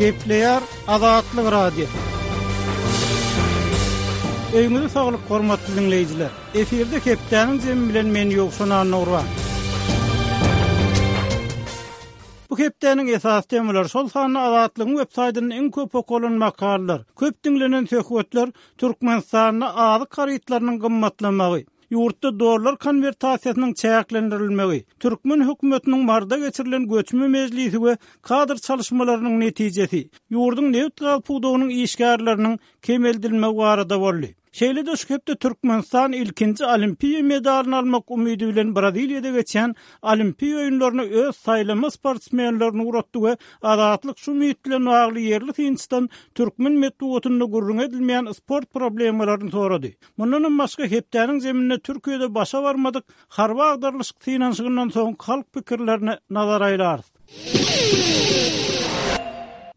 Gepleýär Azatlyk Radiosy. Öýüňize saglyk hormatly diňleýjiler. Efirde hepdäniň jemi bilen men Ýowşan Annagurban. Bu hepdäniň esasy temalary, şol sanda Azatlygyň web saýtynda iň köp okalan makalalar, köp diňlenen söhbetler Türkmenistanda azyk harytlarynyň gymmatlamagy, ýurtda dollar konwertasiýasynyň çäklendirilmegi, türkmen hökümetiniň Maryda geçirilen göçme mejlisi we kadr çalyşmalarynyň netijesi, ýurduň nebit-gaz pudagynyň işgärleriniň kemeldilmegi barada boldy. Şeýle-de şu hepde Türkmenistan ilkinji olimpiýa medalyny almak umydy bilen Braziliýada geçýän Olimpiýa oýunlaryna öz saýlama sportsmenlerini ugratdy we Azatlyk şu umyt bilen bagly ýerli synçydan türkmen metbugatynda gürrüňi edilmeýän sport problemalaryny sorady. Mundanam başga hepdäniň jeminde Türkiýede başa barmadyk harby agdarylyşyk synanyşygyndan soňky halk pikirlerine nazar aýlarys.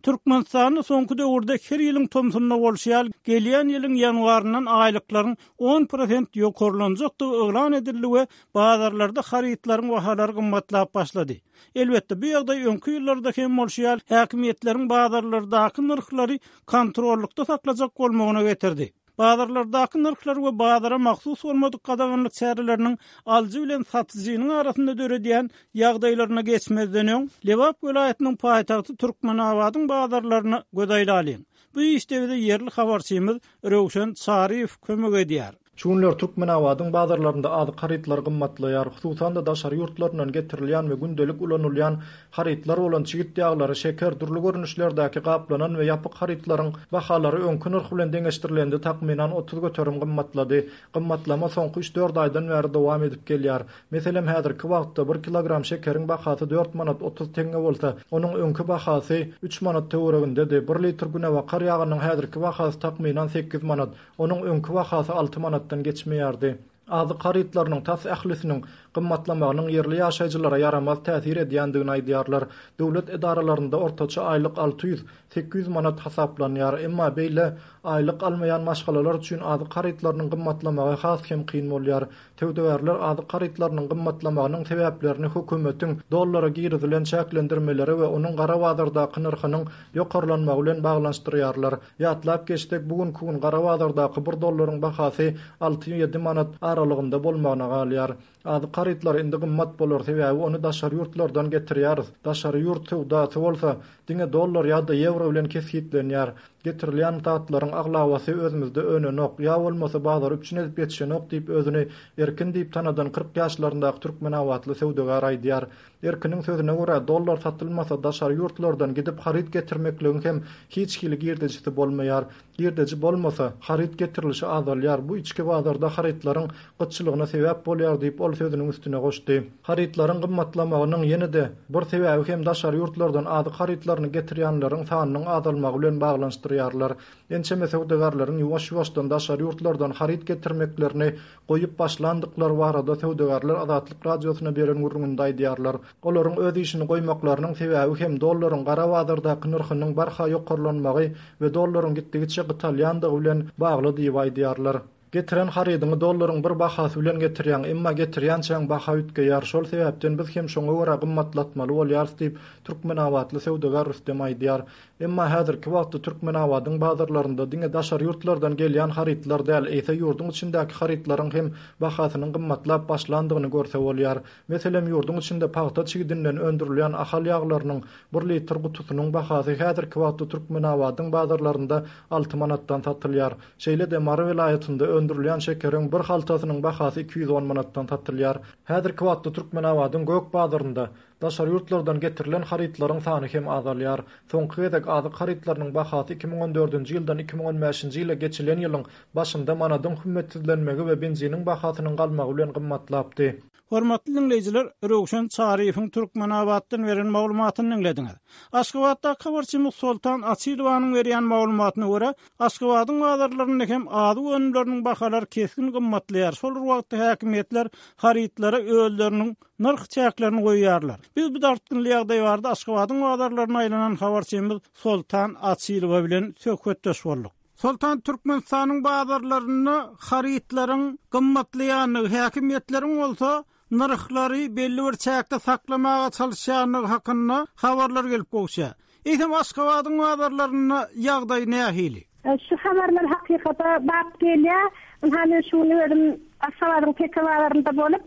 Türkmenistanda soňky döwürde her ýylyň tomsunda bolşy ýaly, gelýän ýylyň ýanwaryndan aýlyklaryň on prosent ýokarlanjakdygy yglan edildi we bazarlarda harytlaryň bahalary gymmatlap başlady. Elbetde, bu ýagdaý öňki ýyllarda hem bolşy ýaly, häkimiýetleriň bazarlardaky nyrhlary kontrollykda saklajak bolmagyna getirdi. Bazarlardaky nyrhlar we bazara mahsus bolmadyk gadaganlyk çäreleriniň alyjy bilen satyjynyň arasynda döredýän ýagdaýlaryna geçmezden öň, Lebap welaýatynyň paýtagty Türkmenabadyň bazarlaryna göz aýlalyň. Bu işde bize ýerli habarçymyz Röwşen Çaryýew kömek edýär. Şu günler Türkmenabadyň bazarlarynda azyk harytlary gymmatlaýar. Hususan-da, daşary ýurtlaryndan getirilýän we gündelik ulanylýan Harytlar bolan çigit ýaglary, şeker, dürli görnüşlerdäki gaplanan we ýapyk harytlaryň bahalary öňki nyrh bilen deňeşdirilende takmynan 30% gymmatlady. Gymmatlama soňky üç-dört aýdan bäri dowam edip gelýär. Meselem, häzirki wagtda bir kilogram şekeriň bahasy dört manat 30 teňňe bolsa, onuň öňki bahasy üç manat töweregindedi. Bir litr günebakar ýagynyň häzirki bahasy takmynan sekiz manat, onuň öňki bahasy alty manatdan geçmeýärdi. Azyk harytlarynyň tas ählisiniň gymmatlamagynyň ýerli ýaşaýjylara ýaramaz täsir edýändigini aýdýarlar. Döwlet edaralarynda ortaça aýlyk 600, 800 manat hasaplanýar. Emma beýle aýlyk almaýan maşgalalar üçin azyk harytlarynyň gymmatlamagy has hem kyn bolýar. Söwdagärler azyk harytlarynyň gymmatlamagynyň sebäplerini hökümetiň dollara girizilen çäklendirmeleri we onuň gara bazardaky nyrhynyň ýokarlanmagy bilen baglanyşdyrýarlar. Ýatlap geçsek, bu günki gün gara bazardaky bir dollaryň bahasy alty-ýedi manat aralygynda bolmagyna galýar. Azyk harytlary indi gymmat bolar, sebäbi ony daşary ýurtlardan getirýäris. Daşary ýurt söwdasy bolsa, diňe dollar ýa-da ýewro bilen kesgitlenýär. Getirilýän zatlaryň aglabasy özümizde önenok, ýa bolmasa bazary üpjün edip ýetişenok diýip, özüni Erkin diýip tanadan 40 ýaşlaryndaky türkmenabatly söwdagär aýdýar. Erkiniň sözüne görä, dollar satylmasa, daşary ýurtlardan gidip haryt getirmekligiň hem hiç hili girdejisi bolmaýar. Girdeji bolmasa, haryt getirilişi azalýar, bu içki bazarda harytlaryň gytçylygyna sebäp bolýar diýip, ol sözüniň üstüne goşdy. Harytlaryň gymmatlamagynyň ýene-de bir sebäbi hem daşary ýurtlardan azyk harytlaryny getirýänleriň sanynyň azalmagy bilen baglanyşdyrýarlar. Ençeme söwdagärleriň ýuwaş-ýuwaşdan daşary ýurtlardan haryt getirmeklerini goýup başlandyklary barada söwdagärler Azatlyk Radiosyna beren gürrüňinde aýdýarlar. Olaryň öz işini goýmaklarynyň sebäbi hem dollaryň gara bazardaky nyrhynyň barha ýokarlanmagy we dollaryň gitdigiçe gytalýandygy bilen bagly diýip aýdýarlar. Getiren harydyňy dollaryň bir bahasy bilen getirýäň, emma getirýänçäň baha üýtgeýär, şol sebäpden biz hem şoňa görä gymmatlatmaly bolýarys diýip, türkmenabatly söwdagär Rüstem aýdýar. Emma häzirki wagtda Türkmenabadyň bazarlarynda diňe daşary ýurtlardan gelýän harytlar däl, eýse ýurduň içindäki harytlaryň hem bahasynyň gymmatlap başlandygyny görse bolýar. Meselem, ýurduň içinde pagta çigidinden öndürilýän Ahal ýaglarynyň bir litr gutusynyň bahasy häzirki wagtda Türkmenabadyň bazarlarynda alty manatdan satylýar. Şeýle-de Mary welaýatynda öndürilýän şekeriň bir haltasynyň bahasy 210 manatdan satylýar. Häzirki wagtda Türkmenabadyň gök bazarynda Daşary ýurtlardan getirilen harytlaryň sany hem azalýar. Soňky gezek azyk harytlarynyň bahasy 2014-nji ýyldan 2015-nji ýyla geçilen ýylyň başynda manadyň hümmetsizlenmegi we benziniň bahasynyň galmagy bilen gymmatlapdy. Hormatly diňleýjiler, Röwşen Çaryýewiň Türkmenabatdan beren maglumatyny diňlediňiz. Aşgabatdaky habarçymyz Soltan Açylowanyň berýän maglumatyna görä, Aşgabadyň bazarlarynda hem azyk önümleriniň bahalary kesgin gymmatlaýar, şol bir wagtda häkimiýetler harytlara özleriniň nyrh çäklerini goýýarlar. Biz bu dartgynly ýagdaý barada Aşgabadyň bazarlaryna aýlanan habarçymyz Soltan Açylowa bilen söhbetdeş bolduk. Soltan, Türkmenistanyň bazarlarynda harytlaryň gymmatlaýandygy, häkimiýetleriň bolsa nyrhlary belli bir çäkde saklamaga çalyşýandygy hakynda habarlar gelip gowuşýar. Eýsem, Aşgabadyň bazarlarynda ýagdaý nähili? Şu habarlar hakykata bap gelýär. Ynha, men şu gün özüm Aşgabadyň Teke bazarynda bolup,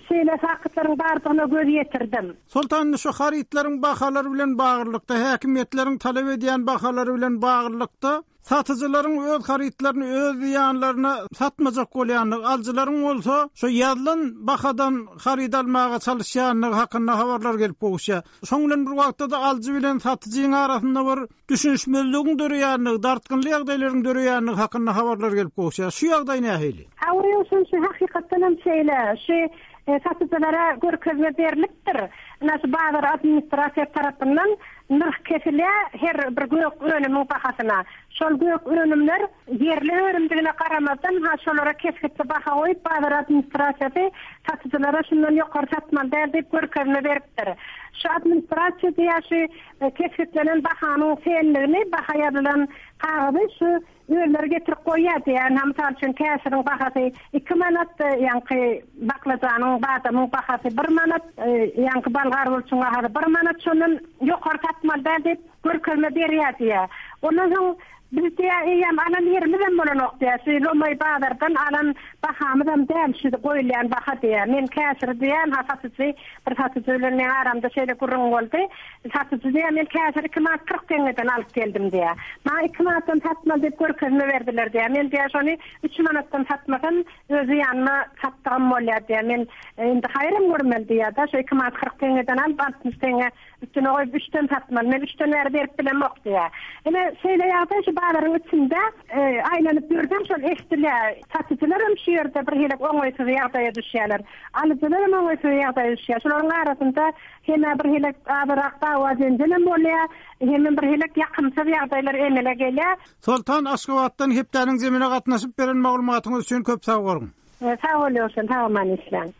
şeýle faktlaryň bardygyna göz ýetirdim. Soltan, indi şu harytlaryň bahalary bilen baglylykda, häkimiýetleriň talap edýän bahalary bilen baglylykda, satyjylaryň öz harytlaryny öz zyýanlaryna satmajak bolýandygy, alyjylaryň bolsa şu ýazylan bahadan haryt almaga çalyşýandygy hakynda habarlar gelip gowuşýar. Şoň bilen bir wagtda-da alyjy bilen satyjyň arasynda bir düşünişmezligiň döreýändigi, dartgynly ýagdaýlaryň döreýändigi hakynda habarlar gelip gowuşýar. Şu ýagdaý nähili? Hawa, Ýowşan, şu hakykatdan hem şeýle. Şu satyjylara görkezme berlipdir. Ynha, şu bazar administrasiýasy tarapyndan nyrh kesilýär her bir gök önümiň bahasyna. Şol gök önümler ýerli önümdigine garamazdan, ha, şolara kesgitli baha goýup, bazar administrasiýasy satyjylara şundan ýokary satmaly däl diýip görkezme beripdir. Şu administrasiýa diýýär, şu kesgitlenen bahanyň senligini, baha ýazylan kagyzy şu özleri getirip goýýar diýýär. Ynha, mysal üçin, käşiriň bahasy iki manat, ýaňky baklajanyň, badamyň bahasy bir manat, ýaňky bolgar burçuň bahasy bir manat, şondan ýokary satmaly däl diýip, görkezme berýär diýýär. Ondan soň biz diýýär, eýýäm alan ýerimizem bolanok diýýär. Şu lomaý bazardan alan bahamyzam däl şu goýulýan baha diýýär. Men käşiri diýýän, ha satyjy, bir satyjy bilen meň aramda şeýle gürrüň boldy. Satyjy diýýär, men käşiri iki manat 40 teňňeden alyp geldim diýýär. Maňa iki manatdan satmaly diýip görkezme berdiler diýýär. Men diýýär, şony üç manatdan satmasam, öz zyýanyma satdygym bolýar diýýär. Men indi haýyram görmeli diýýär-de, şu iki manat 40 teňňeden alyp, 60 teňňe Üstüne goýup üçden satmaly. Men üçden bäri berip bilemok diýýär. Ine, şeýle ýagdaý şu bazaryň içinde aýlanyp ýörseň şol eşidilýär. Satyjylar hem şu ýerde bir hili oňaýsyz ýagdaýa düşýärler. Alyjylar hem oňaýsyz ýagdaýa düşýär. Şolaryň arasynda hem-ä bir hili azyrak dawa-jenjel hem bolýar, hemem bir hili ýakymsyz ýagdaýlar emele gelýär. Soltan, Aşgabatdan hepdäniň zemine gatnaşyp beren maglumatyňyz üçin köp sag boluň. Sag bol Ýowşan, sag aman işläň.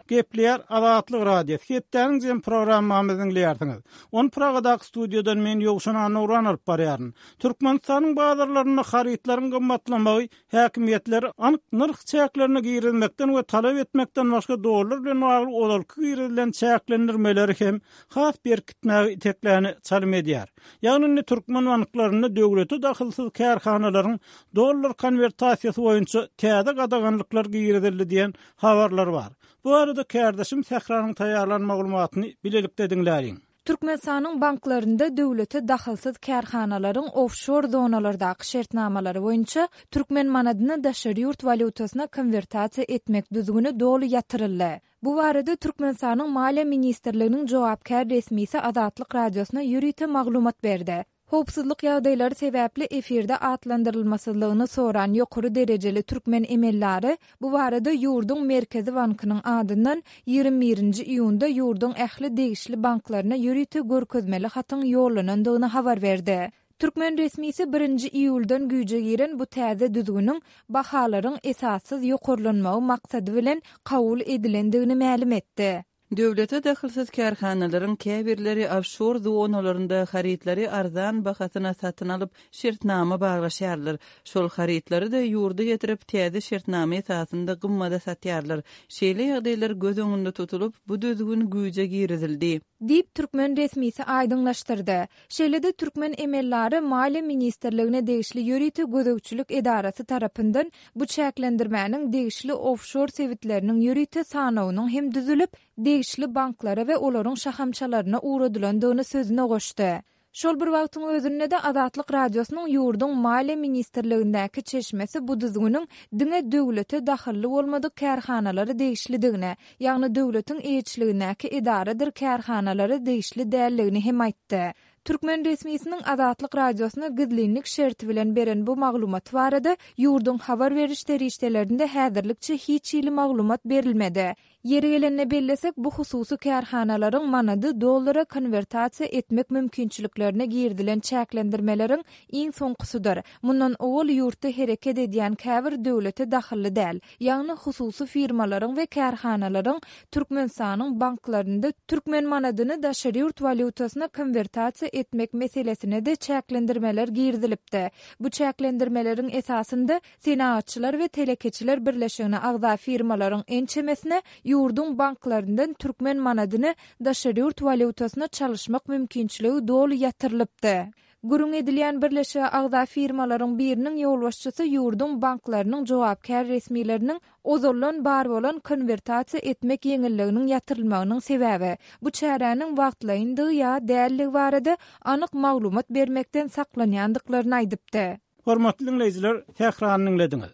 Gepleýär Azatlyk Radiosy, hepdäniň jem programmamyzy diňleýärsiňiz. Ony Pragadaky studiýadan men Ýowşan Annagurban alyp barýaryn. Türkmenistanyň bazarlarynda harytlaryň gymmatlamagy häkimiýetleri anyk nyrh çäklerini girizmekden we talap etmekden başga dollar bilen bagly ozalky girizilen çäklendirmeleri hem has berkitmäge itekläne çalym edýär. Ýagny indi türkmen banklarynda döwlete dahylsyz kärhanalaryň dollar konwertasiýasy boýunça täze gadaganlyklar girizildi diýen habarlar bar. Bu barada kärdeşim Sähranyň taýýarlan maglumatyny bilelikde diňläliň. Türkmenistanyň banklarynda döwlete dahylsyz kärhanalaryň ofşor zonalardaky şertnamalary boýunça türkmen manadyny daşary ýurt walýutasyna konwertasiýa etmek düzgüni doly ýatyryldy. Bu barada Türkmenistanyň Maliýe ministrliginiň jogapkär resmisi Azatlyk Radiosyna ýörite maglumat berdi. Howpsuzlyk ýagdaýlary sebäpli efirde atlandyrylmasyzlygyny soran ýokary derejeli türkmen emeldary bu barada ýurduň Merkezi bankynyň adyndan 21 nji iýunda ýurduň ähli degişli banklaryna ýörite görkezmeli hatyň ýollanandygyny habar berdi. Türkmen resmisi birinji iýuldan güýje giren bu täze düzgüniň bahalaryň esassyz ýokarlanmagy maksady bilen kabul edilendigini mälim etdi. Döwlete dahylsyz kärhanalaryň käbirleri ofşor zonalarynda harytlary arzan bahasyna satyn alyp, şertnama baglaşýarlar. Şol harytlary-da ýurda getirip, täze şertnama esasynda gymmada satýarlar. Şeýle ýagdaýlar göz öňünde tutulyp, bu düzgün güýje girizildi. Diýip, türkmen resmisi aýdyňlaşdyrdy. Şeýle-de türkmen emeldary Maliýe ministrligine degişli ýörite gözegçilik edarasy tarapyndan bu çäklendirmäniň degişli ofşor sebitleriniň ýörite sanawynyň hem düzülip, degişli banklara we olaryň şahamçalaryna ugradylandygyny sözüne goşdy. Şol bir wagtyň özünde-de Azatlyk Radiosynyň ýurduň Maliýe ministrligindäki çeşmesi bu düzgüniň diňe döwlete dahylly bolmadyk kärhanalara degişlidigini, ýagny döwletiň eýeçiligindäki edaradyr kärhanalara degişli däldigini hem aýtdy. Türkmen resmisiniň Azatlyk Radiosyna gizlinlik şerti bilen beren bu maglumaty barada ýurduň habar beriş serişdelerinde häzirlikçe hiç hili maglumat berilmedi. Ýeri gelende bellesek, bu hususy kärhanalaryň manady dollara konwertasiýa etmek mümkinçiliklerine girizilen çäklendirmeleriň iň soňkusydyr. Mundan owal ýurtda hereket edýän käbir döwlete dahylly däl, ýagny hususy firmalaryň we kärhanalaryň Türkmenistanyň banklarynda türkmen manadyny daşary ýurt walýutasyna konwertasiýa. etmek meselesine-de çäklendirmeler girizilipdi. Bu çäklendirmeleriň esasynda Senagatçylar we telekeçiler birleşigine agza firmalaryň ençemesine ýurduň banklaryndan türkmen manadyny daşary ýurt walýutasyna çalyşmak mümkinçiligi doly ýatyrylypdy. Gürrüň edilýän birleşige agza firmalaryň biriniň ýolbaşçysy ýurduň banklarynyň jogapkär resmileriniň ozaldan bar bolan konwertasiýa etmek ýeňilliginiň ýatyrylmagynyň sebäbi, bu çäräniň wagtlaýyndygy ýa däldigi barada anyk maglumat bermekden saklanýandyklaryny aýdypdy. Hormatly diňleýjiler, Sährany diňlediňiz.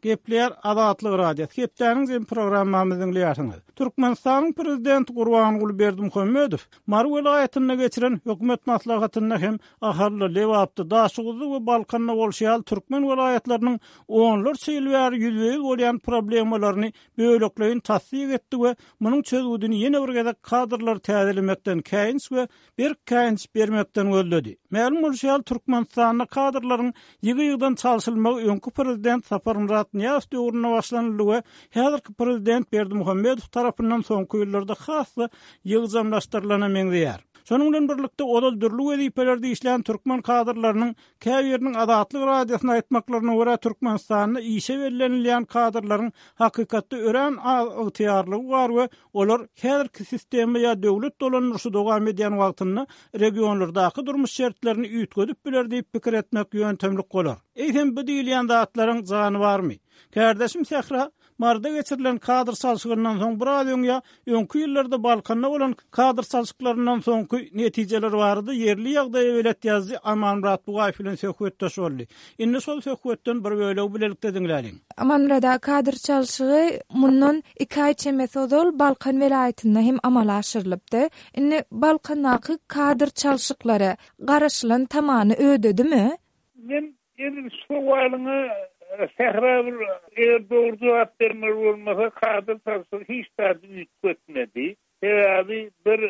Gepleýär Azatlyk Radiosy. Hepdäniň jemi programmamyzy diňleýärsiňiz. Türkmenistanyň Prezidenti Gurbanguly Berdimuhamedow Mary welaýatynda geçiren hökümet maslahatynda hem Ahalda, Lebapda, Daşoguzda we Balkanda bolşy ýaly türkmen welaýatlarynyň onlarça ýyl bäri ýüzbe-ýüz bolýan problemalaryny bölekleýin tassyk etdi we munuň çözgüdini ýene bir gezek kadrlary täzelemekden, käýinç we berk käýinç bermekden gözledi. Mälim bolşy ýaly, Türkmenistanda kadrlaryň ýygy-ýygydan çalşylmagy öňki prezident Saparmyrat Nyýazow döwründe başlanyldy we häzirki prezident Berdimuhamedow tarapyndan soňky ýyllarda has-da ýygjamlaşdyrylana meňzeýär. Şonuň bilen birlikde, ozal dürli wezipelerde işlän türkmen kadrlarynyň käbiriniň Azatlyk Radiosyna aýtmaklaryna görä, Türkmenistanda işe bellenilýän kadrlaryň hakykatda örän az ygtyýarlygy bar we Olar häzirki sistema ýa döwlet dolandyryşy dowam edýän wagtynda regionlardaky durmuş şertlerini üýtgedip biler diýip pikir etmek ýöntemlik bolar. Eýsem bu diýilýän zatlaryň jany barmy? Kärdeşim Sähra, Maryda geçirilen kadr çalşygyndan soň biraz öň ýa öňki ýyllarda Balkanda bolan kadr çalşyklaryndan soňky netijeler barada ýerli ýagdaýa belet ýazyjy Amanmyrat Bugaýew bilen söhbetdeş boldy. Indi şol söhbetden bir bölegi bilelikde diňläliň. Amanmyrat aga, kadr çalşygy mundan iki aý çemesi ozal Balkan welaýatynda hem amala aşyrylypdy. Indi Balkandaky kadr çalşyklary garaşylan tamany ödedimi? Men edil şu sowalyňa Sähra bir eger dogry jogap bermeli bolmasa kadr çalşygy hiç zady üýtgetmedi. Sebäbi bir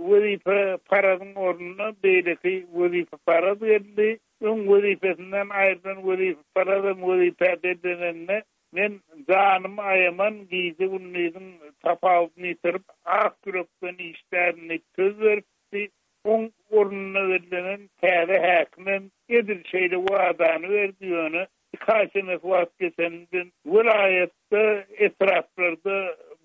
wezipeparazyň ornuna beýleki wezipeparaz geldi. Öň wezipesinden aýrylan wezipeparazam wezipä bellenende, men janymy aýaman, gije-gündiziň tapawudyny ýitirip, ak ýürekden işlärin diýip söz beripdi. Oň ornuna bellenen täze häkimem edil şeýle wadany berdi, ýöne iki aý çemesi wagt geçeninden welaýatda, etraplarda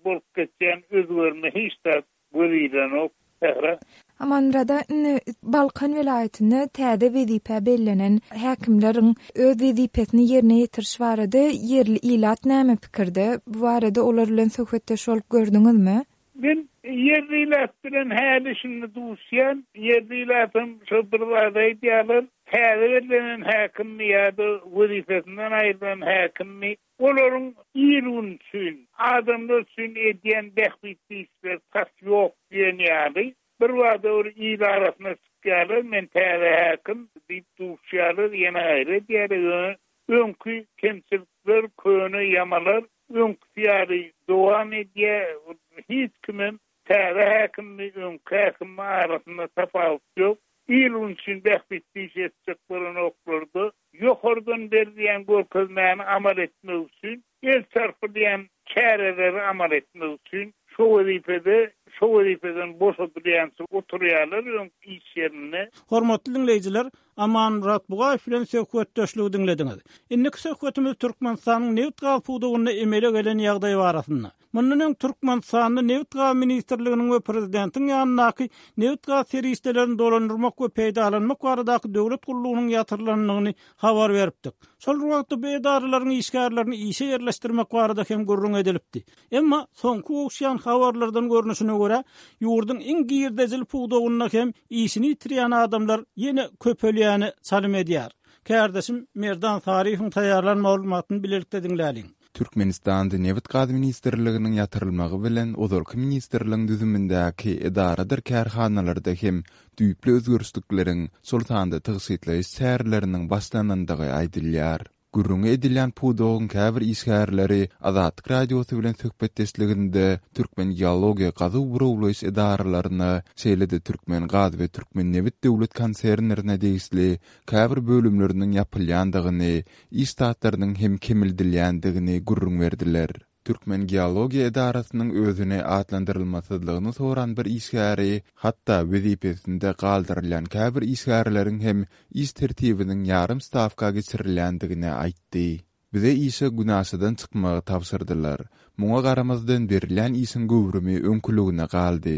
bolup geçýän özgerme hiç zat göz ilenok, Sähra. Amanmyrada indi Balkan welaýatynda täze wezipä bellenen häkimleriň öz wezipesini ýerine ýetiriş barada ýerli ilat näme pikirde? Bu barada olar bilen söhbetdeş bolup gördüňizmi? Men ýerli ilat bilen häli-şindi duşýan. Ýerli ilatam şo bir zady aýdýarlar, täze bellenen häkimmi ýa-da wezipesinden aýrylan häkimmi, olaryň il-gün üçin, adamlar üçin edýän bähbitli işleri tas ýok diýen ýaly. Birbada bir il arasyna çykýarlar, men täze häkim diýip duşýarlar, ýene gaýry edýärler, ýöne öňki kemçilikler, köne ýamalar öňküsi ýaly dowam edýär, hiç kimem täze häkimmi, öňki häkimmi arasynda tapawut ýok. Il-gün üçin bähbitli iş etjek bolanoklarda, ýokardan berilýän görkezmäni amal etmek üçin, el çarpylýan çäreleri amal etmek üçin şo wezipede, şo wezipeden boşadylýança oturýarlar öňki iş ýerinde. Hormatly diňleýjiler, Amanmyrat Bugaýew bilen söhbetdeşligi diňlediňiz. Indiki söhbetimiz Türkmenistanyň nebit-gaz pudagynda emele gelen ýagdaý barasynda. Mundan öň Türkmenistanda Nebit-gaz ministrliginiň we prezidentiň ýanyndaky nebit-gaz serişdelerini dolandyrmak we peýdalanmak baradaky döwlet gullugynyň ýatyrylandygyny habar beripdik. Şol bir wagtda bu edaralaryň işgärlerini işe ýerleşdirmek barada hem gürrüň edilipdi. Emma soňky gowuşýan habarlardan görnüşine görä, ýurduň iň girdejili pudagynda hem işini ýitirýän adamlar ýene köpelýäne çalym edýär. Kärdeşim Merdan Saryýewiň taýýarlan maglumatyny bilelikde diňläliň. Türkmenistanda Nebit-gaz ministrliginiň ýatyrylmagy bilen ozalky ministrligiň düzümindäki edaradyr kärhanalarda hem düýpli özgerişlikleriň, şol sanda tygşytlaýyş çäreleriniň başlanandygy aýdylýar. Gürrüňi edilýän pudagyň käbir işgärleri Azatlyk Radiosy bilen söhbetdeşliginde Türkmengeologiýa gazuw-burawlaýyş edaralaryna, şeýle-de Türkmengaz we Türkmennebit döwlet konsernlerine degişli käbir bölümleriniň ýapylýandygyny, iş ştatlarynyň hem kemeldilýändigini gürrüň berdiler. Türkmengeologiýa edarasynyň özüni atlandyrylmasyzlygyny soran bir işgäri hatda wezipesinde galdyrylýan käbir işgärleriň hem iş tertibiniň ýarym stawka geçirilýändigini aýtdy. Bize işe günaşadan çykmagy tabşyrdylar. Muňa garamazdan berilýän işiň göwrümi öňküligine galdy.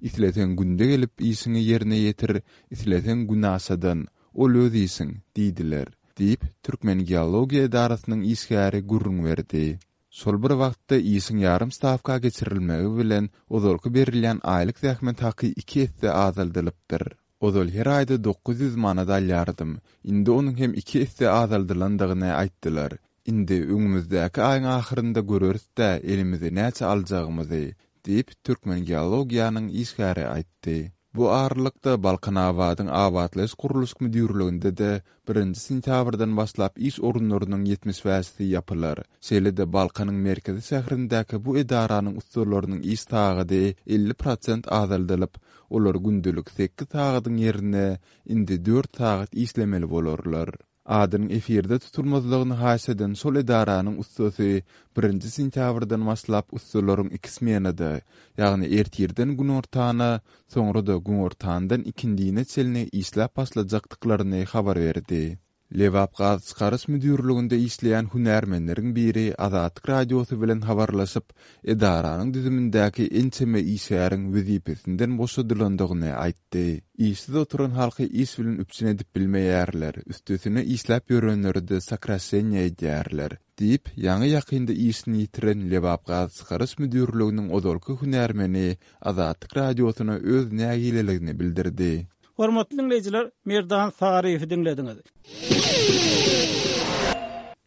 Isleseň günde gelip işiňi ýerine ýetir, isleseň günaşadan, ol öz işiň, diýdiler, diýip, Türkmengeologiýa edarasynyň işgäri gürrüň berdi. Şol bir wagtda işiň ýarym stawka geçirilmegi bilen ozalky berilýän aýlyk zähmet haky iki esse azaldylypdyr. Ozal her aýda 900 manat alýardym. Indi onuň hem iki esse azaldylandygyny aýtdylar. Indi öňümizdäki aýyň ahyrynda göreris-dä elimize näçe aljagymyzy, diýip, Türkmengeologiýanyň işgäri aýtdy. Bu aralykda, Balkanabadyň abatlaýyş-gurluşyk müdirliginde-de birinji sentýabrdan başlap iş orunlarynyň 70 bäşisi ýapylar. Şeýle-de Balkanyň merkezi şäherindäki bu edaranyň ussalarynyň iş sagady 50 prosent azaldylyp, olar gündelik sekiz sagadyň ýerine indi dört sagat işlemeli bolarlar. Adynyň efirde tutulmazlygyny haýyş eden şol edaranyň ussasy birinji sentýabrdan başlap ussalaryň iki smenada, ýagny ertirden günortana, soňra-da günortandan ikindine çenli işläp başlajakdyklaryny habar berdi. Lebapgazçykaryş müdirliginde işleýän hünärmenleriň biri Azatlyk Radiosy bilen habarlaşyp, edaranyň düzümindäki ençeme işgäriň wezipesinden boşadylandygyny aýtdy. Işsiz oturan halky iş bilen üpjün edip bilmeýärler, üstesine işläp ýörenleri-de sokraşeniýe edýärler, diýip, ýaňy-ýakynda işini ýitiren Lebapgazçykaryş müdirliginiň ozalky hünärmeni Azatlyk Radiosyna öz nägileligini bildirdi. Hormatly diňleýjiler, Merdan Saryýewi diňlediňiz.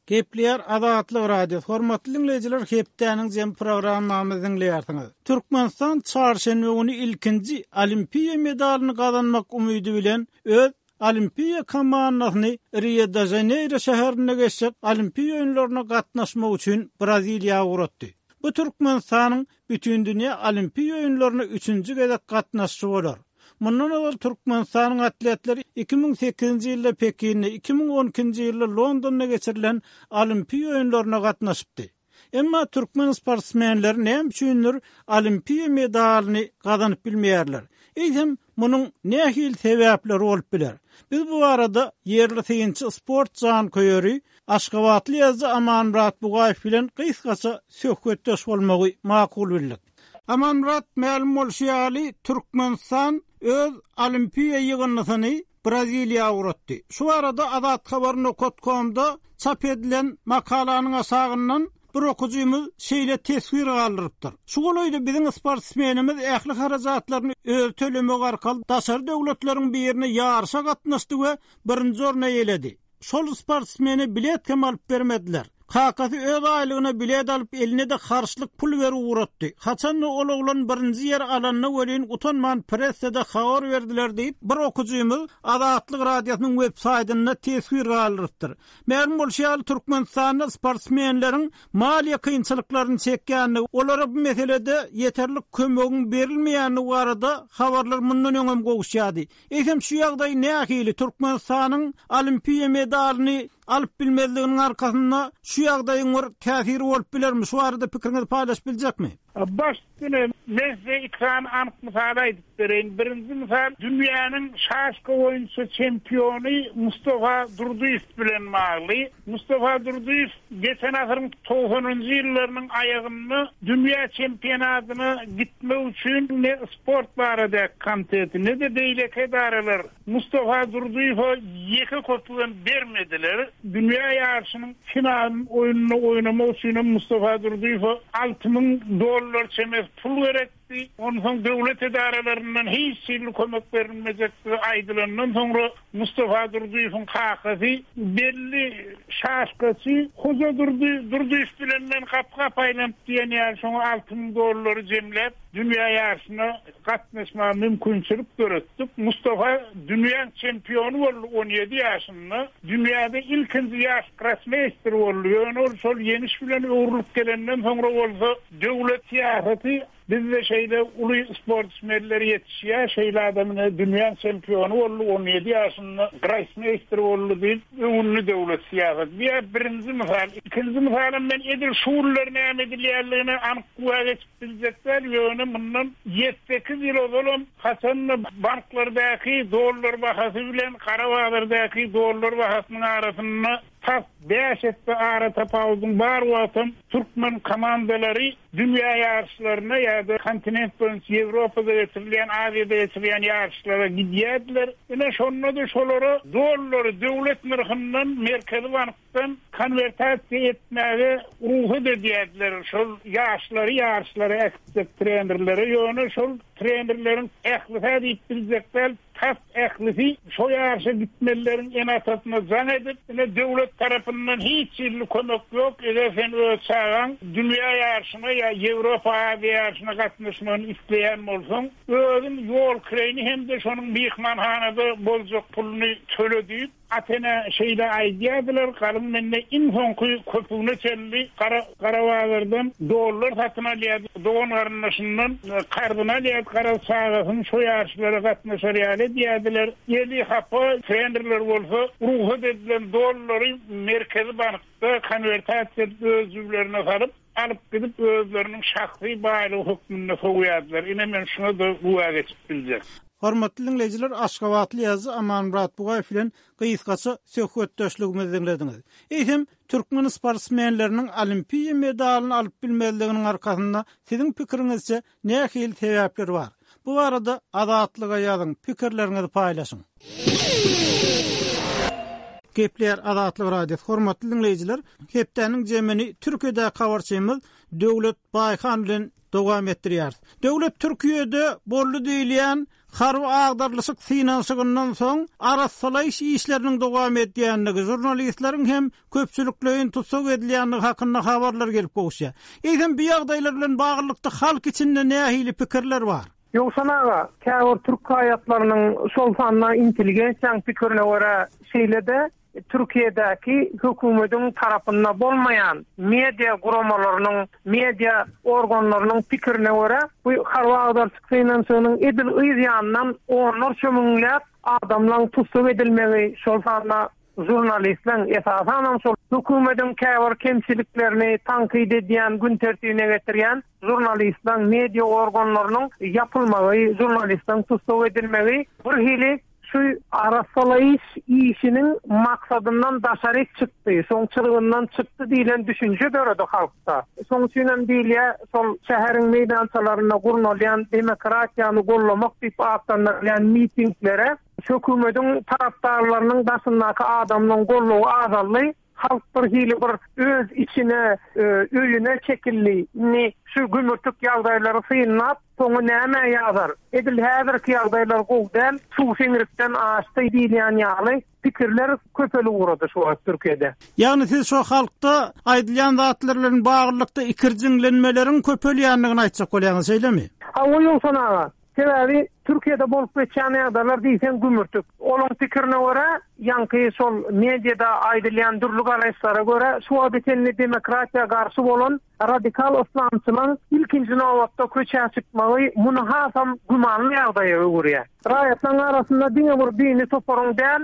Gepleýär Azatlyk Radiosy. Hormatly diňleýjiler, hepdäniň jemi programmamyzy diňleýärsiňiz. Türkmenistan çarşenbe güni ilkinji Olimpiýa medalyny gazanmak umydy bilen öz Olimpiýa komandasyny Rio-de-Žaneýro şäherinde geçjek Olimpiýa oýunlaryna gatnaşmak üçin Braziliýa ugratdy. Bu Türkmenistanyň Bütindünýä Olimpiýa oýunlaryna üçünji gezek gatnaşyşy bolar. Mundan ozal Türkmenistanyň atletleri 2008-nji ýylda Pekinde, 2012-nji ýylda Londonda geçirilen Olimpiýa oýunlaryna gatnaşypdy. Emma türkmen sportsmenleri näme üçindir Olimpiýa medalyny gazanyp bilmeýärler? Eýsem, munuň nähili sebäpleri bolup biler? Biz bu barada ýerli synçy sport janköýeri, aşgabatly ýazyjy Amanmyrat Bugaýew bilen gysgaça söhbetdeş bolmagy makul bildik. Amanmyrat, mälim bolşy ýaly, Türkmenistan öz Olimpiýa ýygyndysyny Braziliýa ugratdy. Şu barada Azathabar nokat komda çap edilen makalanyň aşagyndan bir okyjymyz şeýle teswir galdyrypdyr, Şu golaýda biziň sportsmenimiz ähli harajatlaryny özi tölemek arkaly daşary döwletleriň birine ýaryşa gatnaşdy we birinji orny eýeledi. Şol sportsmene bilet hem alyp bermediler. Kakasy öz aýlygyna bilet alyp eline-de harçlyk pul berip ugratdy. Haçan-da ol oglan birinji ýeri alanda welin utanman pressede habar berdiler diýip, bir okyjymyz Azatlyk Radiosynyň web saýtynda teswir galdyrypdyr. Mälim bolşy ýaly, Türkmenistanda sportsmenleriň maliýe kynçylyklaryny çekýändigi, olara bu meselede ýeterlik kömegiň berilmeýändigi barada habarlar mundan öňem gowuşýardy. Eýsem şu ýagdaý nähili, Türkmenistanyň Olimpiýa medalyny alyp bilmezliginiň arkasynda şu ýagdaýyň bir täsiri bolup bilermi? Şu barada pikiriňizi paýlaşyp biljekmi? Baş üstüne, men size iki sany anyk mysal aýdyp bereýin. Birinji mysal, dünýäniň şaşka boýunça çempiony Mustafa Durdyýew bilen bagly. Mustafa Durdyýew geçen asyryň togsanynjy ýyllarynyň aýagynda dünýä çempionatyna gitmek üçin ne sport baradaky komiteti, ne-de beýleki edaralar Mustafa Durdyýewe ýeke köpügem bermediler. Dünýä ýaryşynyň final oýnuny oýnamak üçinem Mustafa Durdyýewe 6000 dollar çemesi pul gerekdi. Onsoň döwlet edaralaryndan hiç hili kömek berilmejekdigi aýdylandan soňra Mustafa Durdyýewiň kakasy belli şaşkaçy Hojadurdy Durdyýew bilen men gapy-gapy aýlanyp diýen ýaly şoňa 6000 dollary jemläp dünýä ýaryşyna gatnaşmaga mümkinçilik döretdik. Mustafa dünýäň çempiony boldy on ýedi ýaşynda. Dünýäde ilkinji ýaş grossmeýster boldy. Ýöne ol şol ýeňiş bilen öwrülip gelenden soňra bolsa döwlet syýasaty. Bizde şeýle uly sportsmenler ýetişýär, şeýle adam ine dünýäň çempiony boldy, 17 ýaşynda grossmeýster boldy diýip öwündi döwlet syýasaty. Bu ýa birinji mysal. Ikinji mysalam men edil şu günler näme edilýänligine anyk güwä geçip biljek däl, ýöne mundan ýedi-sekiz ýyl ozalam haçanda banklardaky dollar bahasy bilen gara bazardaky dollar bahasynyň arasynda Tas bäş esse ara tapawudyň bar wagtam türkmen komandalary dünýä ýaryşlaryna ýa-da kontinent boýunça Ýewropada geçirilýän, Aziýada geçirilýän ýaryşlara gidýärdiler. Ine, şonda-da şolara dollary döwlet nyrhyndan Merkezi bankdan konwertasiýa etmäge rugsat edýärdiler şol ýaşlary ýaryşlara äkitjek trenerlere. Ýöne şol trenerleriň ählisi-hä diýip biljek däl, Tas ählisi şo ýaryşa gitmelileriň ene-atasyna jaň edip, ine döwlet tarapyndan hiç hili kömek ýok, eger sen öz çagaň dünýä ýaryşyna ýa Ýewropa, Aziýa ýaryşyna gatnaşmagyny isleýän bolsaň, özüň ýol kireýini hem-de şonuň myhmanhanada boljak puluny töle diýip, Ata-ene şeýle aýdýardylar, galyň mende iň soňky köpügine çenli gara gara bazardan dollar satyn alýardy, dogan-garyndaşyndan karzyny alýardy, garaz çagasyny şo ýaryşlara gatnaşar ýaly edýärdiler. Eli hapa trenerler bolsa rugsat edilen dollary Merkezi bankda konwertasiýa edip öz jüblerine salyp, alyp gidip özleriniň şahsy baýlygy hökmünde sowýardylar. Ine men şuňa-da güwä geçip biljek. Hormatly diňleýjiler, aşgabatly ýazyjy Amanmyrat Bugaýew bilen gysgaça söhbetdeşligimizi diňlediňiz. Eýsem, türkmen sportsmenleriniň olimpiýa medalyny alyp bilmezliginiň arkasynda siziň pikiriňizçe nähili sebäpler bar? Bu barada Azatlyga ýazyň, pikirleriňizi paýlaşyň. Gepleýär Azatlyk Radiosy. Hormatly diňleýjiler, hepdäniň jemini Türkiýedäki habarçymyz Döwlet Baýhan bilen dowam etdirýäris. Döwlet Türkiýede boldy diýilýän harby agdarylyşyk synanyşygyndan soň arassalaýyş işleriniň dowam edýändigi, žurnalistleriň hem köpçülikleýin tussag edilýändigi hakynda habarlar gelip gowuşýar. Eýsem bu ýagdaýlar bilen baglylykda halk içinde nähili pikirler bar? Ýowşan aga, käbir türk raýatlarynyň, şol sanda intelligensiýanyň pikirine görä, şeýle-de Türkiýedäki hökümediň tarapynda bolmaýan media guramalarynyň, media organlarynyň pikirine görä, bu harby agdaryşyk synanyşygynyň edil yz ýanyndan onlarça müňläp adamlaň tussag edilmegi, şol sanda žurnalistleň, esasanam şol hökümediň käbir kemçiliklerini tankyt edýän, gün tertibine getirýän žurnalistleň, media organlarynyň ýapylmagy, žurnalistleň tussag edilmegi bir hili şu arassalaýyş işiniň maksadyndan daşaryk çykdy, şoň çyzgyndan çykdy diýlen düşünje döredi halkda. Şoň üçinem diýilýär, şol şäheriň meýdançalarynda gurnalýan demokratiýany gollamak diýip atlandyrylýan mitinglere hökümediň tarapdarlarynyň daşyndaky adamlaryň goldawy azaldy. Halk bir hili bir öz içine, öýüne çekildi. Indi şu gümürtik ýagdaýlary synlap, soňy nämä ýazar? Edil häzirki ýagdaýlar gowy däl, suw siňrikden aşdy diýilýän ýaly pikirler köpelip ugrady şu wagt Türkiýede. Ýagny siz şo halkda aýdylýan zatlar bilen baglylykda ikirjiňlenmeleriň köpelýändigini aýtjak bolýaňyz, şeýlemi? Hawa Ýowşan aga. Sebäbi Türkiýede bolup geçýän ýagdaýlar diýseň gümürtik. Olaň pikirine görä, ýaňky şol mediada aýdylýan dürli garaýyşlara görä, şu wagta çenli demokratiýa garşy bolan radikal yslamçylaň ilkinji nobatda köçä çykmagy muny hasam gümanly ýagdaýa öwürýär. Raýatlaryň arasynda diňe bir dini toparyň däl,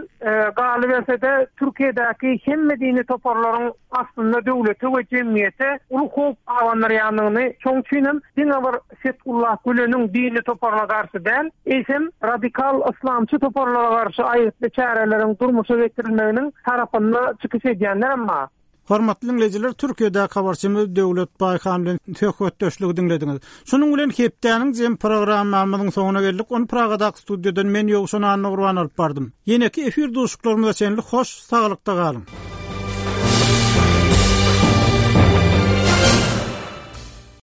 galyberse-de Türkiýedäki hemme dini toparlaryň aslynda döwlete we jemgyýete uly howp abandyrýandygyny, şoň üçin hem diňe bir Fethullah Güleniň dini toparyna garşy däl, eýsem radikal yslamçy toparlara garşy aýgytly çäreleriň durmuşa geçirilmeginiň tarapynda çykyş edýänler hem bar. Hormatly diňleýjiler, Türkiýedäki habarçymyz Döwlet Baýhan bilen söhbetdeşligi diňlediňiz. Şunuň bilen hepdäniň jem programmamyzyň soňuna geldik. Ony Pragadaky studiýadan men Ýowşan Annagurban alyp bardym. Ýeneki efir duşuşyklarymyza çenli hoş saglykda galyň.